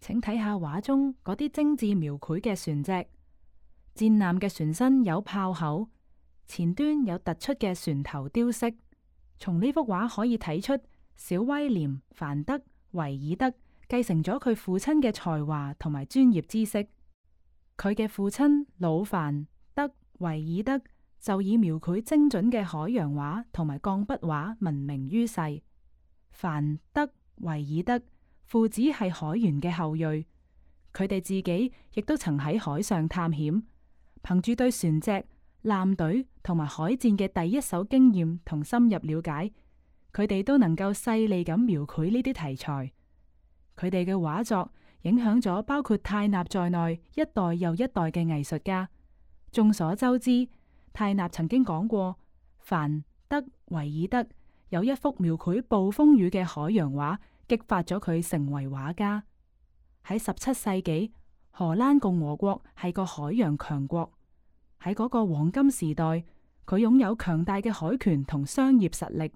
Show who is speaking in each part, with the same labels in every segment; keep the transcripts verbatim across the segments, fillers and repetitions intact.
Speaker 1: 請睇下畫中嗰啲精緻描繪嘅船隻。戰艦嘅船身有炮口，前端有突出嘅船頭雕飾。從呢幅畫可以睇出，小威廉凡德維爾德繼承咗佢父親嘅才華同埋專業知識。佢嘅父親老凡德維爾德就以描繪精準嘅海洋畫同埋鋼筆畫聞名於世。凡德維爾德父子係海員嘅後裔，佢哋自己亦都曾喺海上探險，憑住對船隻、艦隊同埋海戰嘅第一手經驗同深入了解，佢哋都能夠細膩咁描繪呢啲題材。佢哋嘅畫作影響咗包括泰納在內一代又一代嘅藝術家。眾所周知，泰納曾經講過，凡德維爾德有一幅描繪暴風雨嘅海洋畫，激發咗佢成為畫家。喺十七世紀，荷蘭共和國係個海洋強國。喺嗰個黃金時代，佢擁有強大嘅海權同商業實力。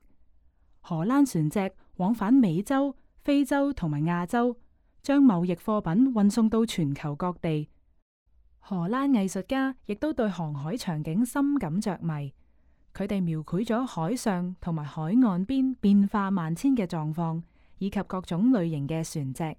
Speaker 1: 荷蘭船隻往返美洲、非洲同埋亞洲，將貿易貨品運送到全球各地。荷蘭藝術家亦都對航海場景深感着迷，佢哋描繪咗海上同埋海岸邊變化萬千嘅狀況，以及各種類型嘅船隻。